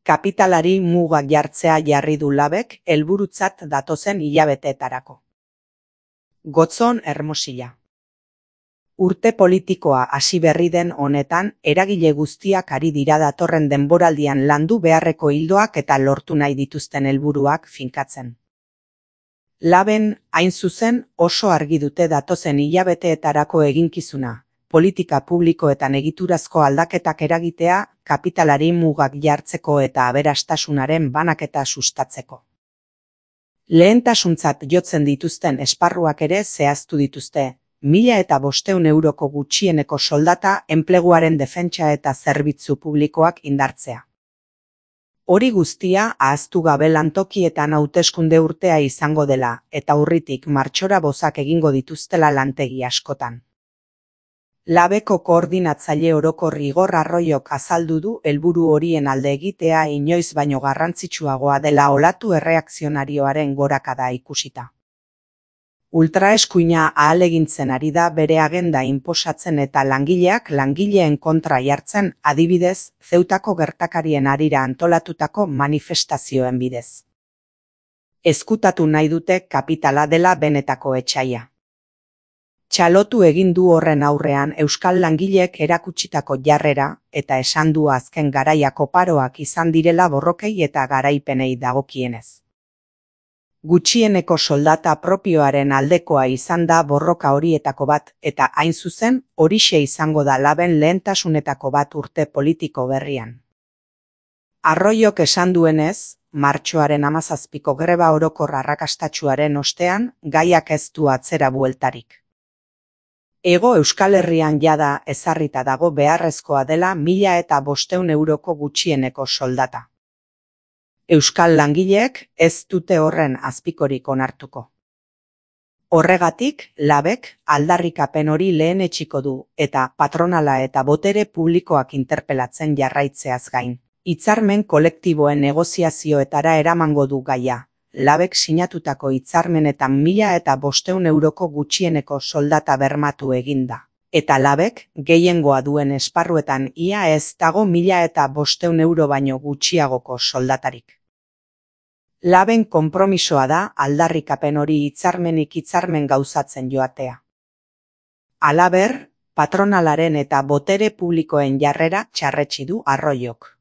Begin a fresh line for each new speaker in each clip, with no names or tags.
Kapitalari mugak jartzea jarri du Labek helburutzat datozen hilabeteetarako. Gotzon Hermosilla. Urte politikoa hasi berri den honetan, eragile guztiak ari dira datorren denboraldian landu beharreko ildoak eta lortu nahi dituzten helburuak finkatzen. Laben, hain zuzen, oso argi dute datozen hilabeteetarako eginkizuna, politika publikoetan egiturazko aldaketak eragitea, kapitalari mugak jartzeko eta aberastasunaren banaketa sustatzeko. Lehentasuntzat jotzen dituzten esparruak ere zehaztu dituzte, 1.500 euroko gutxieneko soldata, enpleguaren defentsa eta zerbitzu publikoak indartzea. Hori guztia ahaztu gabe lantokietan hauteskunde urtea izango dela, eta urritik martxora bozak egingo dituztela lantegi askotan. Labeko koordinatzaile orokor Igor Arroyok azaldu du helburu horien alde egitea inoiz baino garrantzitsuagoa dela olatu erreakzionarioaren gorakada ikusita. Ultraeskuina ahalegintzen ari da bere agenda inposatzen eta langileen kontra jartzen, adibidez, Zeutako gertakarien harira antolatutako manifestazioen bidez. Ezkutatu nahi dute kapitala dela benetako etsaia. Txalotu egin du horren aurrean euskal langileek erakutsitako jarrera eta esan du azken garaiako paroak izan direla borrokei eta garaipenei dagokienez. Gutxieneko soldata propioaren aldekoa izan da borroka horietako bat eta hain zuzen horixe izango da Laben lehentasunetako bat urte politiko berrian. Arroyok esan duenez, martxoaren 17ko greba orokor arrakastatsuaren ostean, gaiak ez du atzera bueltarik. Hego Euskal Herrian jada ezarrita dago beharrezkoa dela 1.500 euroko gutxieneko soldata. Euskal langileek ez dute horren azpikorik onartuko. Horregatik, Labek aldarrikapen hori lehenetsiko du eta patronala eta botere publikoak interpelatzen jarraitzeaz gain. Hitzarmen kolektiboen negoziazioetara eramango du gaia. Labek sinatutako hitzarmenetan 1.500 euroko gutxieneko soldata bermatu eginda. Eta Labek, gehiengoa duen esparruetan ia ez dago 1.500 euro baino gutxiagoko soldatarik. Laben konpromisoa da aldarrikapen hori hitzarmenik hitzarmen gauzatzen joatea. Halaber, patronalaren eta botere publikoen jarrera txarretsi du Arroyok.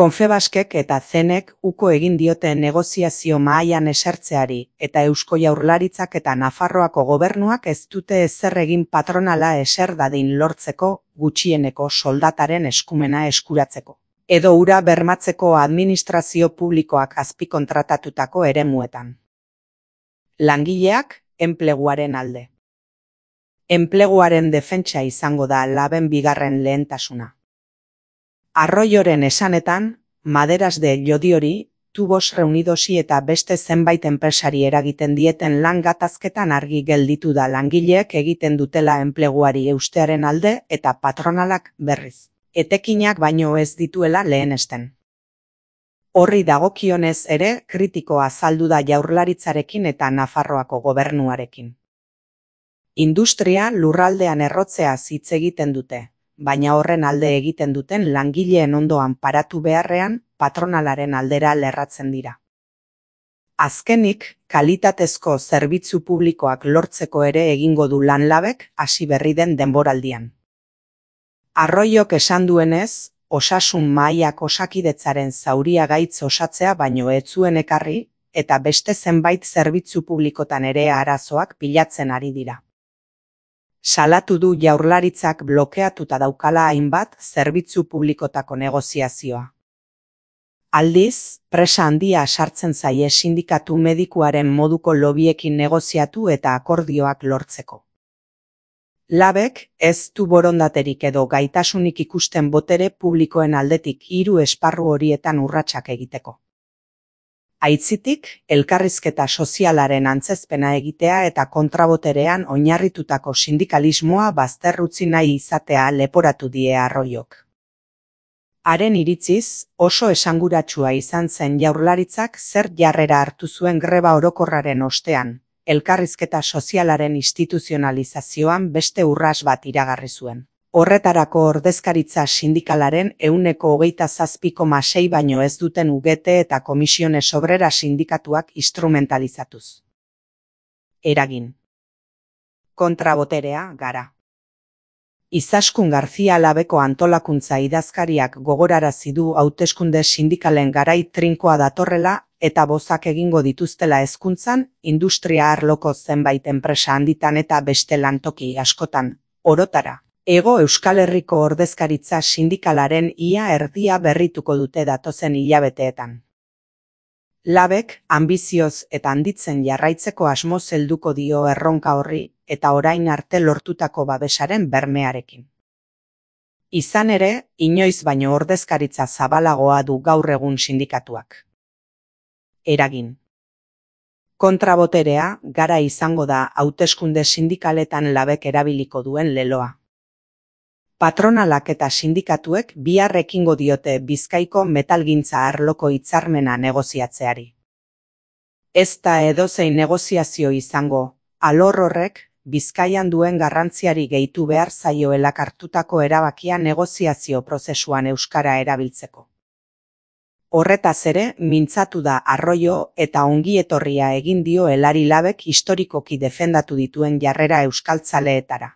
Konfebaskek eta Zenek uko egin diote negoziazio mahaian esertzeari eta Eusko Jaurlaritzak eta Nafarroako gobernuak ez dute ezer egin patronala eser dadin lortzeko gutxieneko soldataren eskumena eskuratzeko. Edo hura bermatzeko administrazio publikoak azpikontratatutako eremuetan. Langileak, enpleguaren alde. Enpleguaren defentsa izango da Laben bigarren lehentasuna. Arroyoren esanetan, Maderas de Llodiori, Tubos Reunidosi eta beste zenbait enpresari eragiten dieten lan gatazketan argi gelditu da langileek egiten dutela enpleguari eustearen alde eta patronalak berriz. Etekinak baino ez dituela lehenesten. Horri dagokionez ere kritiko azaldu da Jaurlaritzarekin eta Nafarroako gobernuarekin. Industria lurraldean errotzeaz hitz egiten dute, baina horren alde egiten duten langileen ondoan paratu beharrean patronalaren aldera lerratzen dira. Azkenik, kalitatezko zerbitzu publikoak lortzeko ere egingo du lan Labek hasi berri den denboraldian. Arroyok esan duenez, osasun mahaiak osakidetzaren zauria gaitz osatzea baino ez zuen ekarri, eta beste zenbait zerbitzu publikotan ere arazoak pilatzen ari dira. Salatu du Jaurlaritzak blokeatuta daukala hainbat zerbitzu publikotako negoziazioa. Aldiz, presa handia sartzen zaie sindikatu medikuaren moduko lobiekin negoziatu eta akordioak lortzeko. Labek ez du borondaterik edo gaitasunik ikusten botere publikoen aldetik 3 esparru horietan urratsak egiteko. Aitzitik, elkarrizketa sozialaren antzezpena egitea eta kontraboterean oinarritutako sindikalismoa bazterrutzi nahi izatea leporatu die Arroyok. Haren iritziz, oso esanguratsua izan zen Jaurlaritzak zer jarrera hartu zuen greba orokorraren ostean, elkarrizketa sozialaren instituzionalizazioan beste urras bat iragarri zuen. Horretarako ordezkaritza sindikalaren 27,6 baino ez duten UGT eta Comisiones Obreras sindikatuak instrumentalizatuz. Eragin. Kontraboterea gara. Izaskun Garzia Labeko antolakuntza idazkariak gogorarazi du hauteskunde sindikalen garai trinkoa datorrela eta bozak egingo dituztela hezkuntzan, industria arloko zenbait enpresa handitan eta beste lantoki askotan, orotara. Hego Euskal Herriko ordezkaritza sindikalaren ia erdia berrituko dute datozen hilabeteetan. Labek anbizioz eta handitzen jarraitzeko asmoz helduko dio erronka horri eta orain arte lortutako babesaren bermearekin. Izan ere, inoiz baino ordezkaritza zabalagoa du gaur egun sindikatuak. Eragin. Kontraboterea gara izango da hauteskunde sindikaletan Labek erabiliko duen leloa. Patronalak eta sindikatuek bihar ekingo diote Bizkaiko metalgintza arloko hitzarmena negoziatzeari. Ez da edozein negoziazio izango, alor horrek Bizkaian duen garrantziari gehitu behar zaioela hartutako erabakia negoziazio prozesuan euskara erabiltzeko. Horretaz ere, mintzatu da Arroyo eta ongietorria egin dio Elari Labek historikoki defendatu dituen jarrera euskaltzaleetara.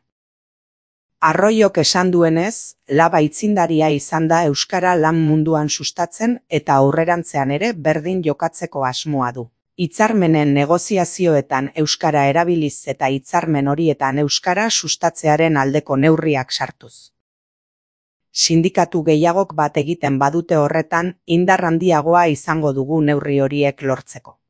Arroyok esan duenez, Lab aitzindaria izan da euskara lan munduan sustatzen eta aurrerantzean ere berdin jokatzeko asmoa du. Hitzarmenen negoziazioetan euskara erabiliz eta hitzarmen horietan euskara sustatzearen aldeko neurriak sartuz. Sindikatu gehiagok bat egiten badute horretan, indar handiagoa izango dugu neurri horiek lortzeko.